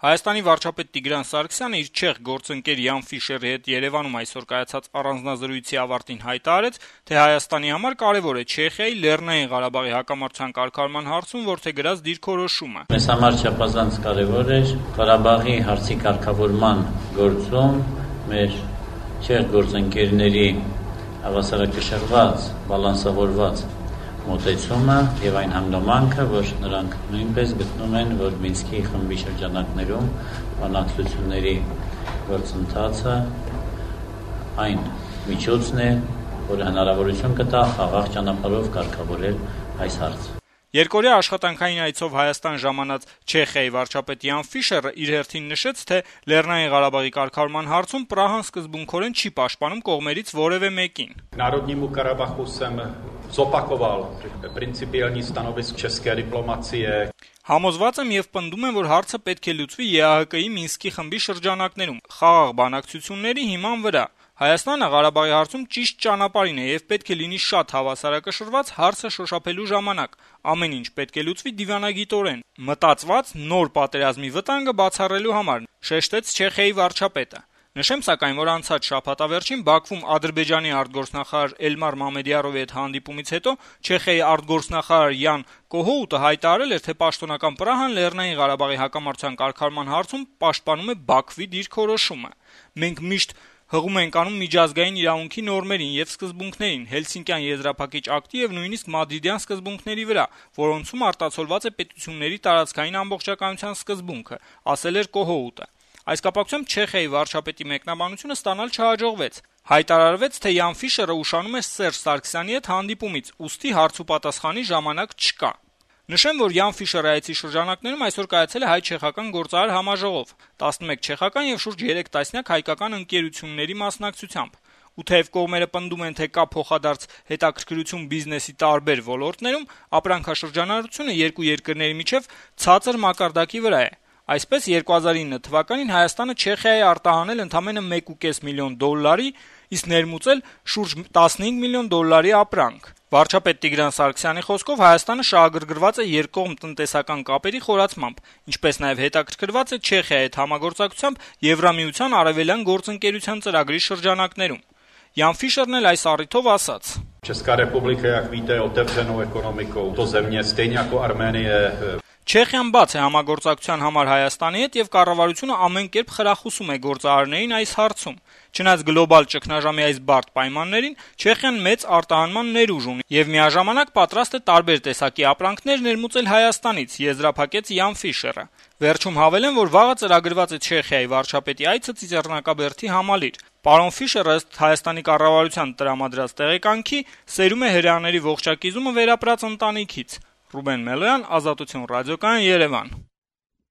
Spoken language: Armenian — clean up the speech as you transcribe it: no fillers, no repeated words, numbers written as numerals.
Հայաստանի վարչապետ Տիգրան Սարգսյանը իր չեխ գործընկեր Յան Ֆիշերի հետ Երևանում այսօր կայացած առանձնազրույցի ավարտին հայտարարեց, թե Հայաստանի համար կարեւոր է Չեխիայի Լեռնային Ղարաբաղի հակամարտության կարգավորման հարցում որդեգրած դիրքորոշումը։ Մեզ համար չափազանց կարեւոր է Ղարաբաղի հարցի կարգավորման գործում մեր չեխ գործընկերների հավասարակշռված, բալանսավորված մոտեցումը եւ այն հանգամանքը, որ նրանք նույնպես գտնում են, որ Մինսկի խմբի շրջանակներում բանակցությունների գործընթացը այն միջոցն է, որը հնարավորություն կտա խաղաղ ճանապարհով կարգավորել այս հարցը։ Երկօրյա աշխատանքային այցով Հայաստան ժամանած Չեխիայի վարչապետ Յան Ֆիշերը իր հերթին նշեց, թե Լեռնային Ղարաբաղի կարգավորման հարցում Պրահան սկզբունքորեն չի պաշտպանում կողմերից որևէ մեկին։ Národnímu Karabachu jsem zopakoval principiální stanovisko české diplomacie. Համոզված եմ եւ պնդում եմ, որ հարցը պետք է լուծվի ԵԱՀԿ-ի Մինսկի խմբի շրջանակներում, խաղաղ բանակցությունների հիման վրա։ Հայաստանը Ղարաբաղի հարցում ճիշտ ճանապարհին է եւ պետք է լինի շատ հավասարակշռված հարցը շոշափելու ժամանակ։ Ամեն ինչ պետք է լուծվի դիվանագիտորեն, մտածված նոր պատերազմի վտանգը բացառելու համար, շեշտեց Չեխիայի վարչապետը։ Նշեմ սակայն, որ անցած շաբաթավերջին Բաքվում Ադրբեջանի արտգործնախարար Էլմար Մամեդյարովի հետ հանդիպումից հետո Չեխիայի արտգործնախարար Յան Կոհոուտը հայտարարել էր, թե պաշտոնական Պրահան Լեռնային Ղարաբաղի հակամարտության կարգավորման հարցում պաշտպանում է Բաքվի դիրքորոշումը։ Մենք միշտ հղում ենք անում միջազգային իրավունքի նորմերին եւ սկզբունքներին, Հելսինկյան եզրափակիչ ակտի եւ նույնիսկ Մադրիդյան սկզբունքների վրա, որոնցում արտացոլված է պետությունների տարածքային ամբողջականության սկզբունքը, ասել էր Կոհոուտը։ Այս կապակցությամբ Չեխիայի վարչապետի մեկնաբանությունը ստանալ չհաջողվեց։ Հայտարարվեց, թե Յան Ֆիշերը ուշանում է Սերժ Սարգսյանի հետ հանդիպումից, ուստի հարց ու պատասխանի ժամանակ չկա։ Նշեմ, որ Յան Ֆիշերի այցի շրջանակներում այսօր կայացել է հայ-չեխական գործարար համաժողով, 11 չեխական եւ շուրջ 3 տասնյակ հայկական ընկերությունների մասնակցությամբ։ Ու թեև կողմերը պնդում են, թե կա փոխադարձ հետաքրքրություն բիզնեսի տարբեր ոլորտներում, ապրանքաշրջանառությունը երկու երկրների միջև ցածր մակարդակի վրա է։ Այսպես 2009 թվականին Հայաստանը Չեխիայի արտահանել ընդամենը 1.5 միլիոն դոլարի, իսկ ներմուծել շուրջ 15 միլիոն դոլարի ապրանք։ Վարչապետ Տիգրան Սարգսյանի խոսքով Հայաստանը շահագրգռված է երկկողմ տնտեսական կապերի խորացմամբ, ինչպես նաև հետաքրքրված է Չեխիայի հետ համագործակցությամբ Եվրամիության արևելյան գործընկերության ծրագրի շրջանակներում։ Յան Ֆիշերն էլ այս առիթով ասաց. Česká republika, jak víte, je otevřenou ekonomikou. To země stejně jako Arménie. Չեխիան բաց է համագործակցության համար Հայաստանի հետ եւ կառավարությունը ամեն կերպ խրախուսում է գործարարներին այս հարցում։ Չնայած գլոբալ ճգնաժամի այս բարդ պայմաններին, Չեխիան մեծ արտահանման ներուժ ունի եւ միաժամանակ պատրաստ է տարբեր տեսակի ապրանքներ ներմուծել Հայաստանից, եզրափակեց Յան Ֆիշերը։ Վերջում հավելեմ, որ վաղը ծրագրված է Չեխիայի վարչապետի այցը Ծիծեռնակաբերդի համալիր։ Պարոն Ֆիշերը ըստ Հայաստանի կառավարության տրամադրած տեղեկանքի սերում է հրեաների ողջակիզումը վերապրած ընտանիքից։ Ռուբեն Մելոյան, Ազատություն ռադիոկայան, Երևան։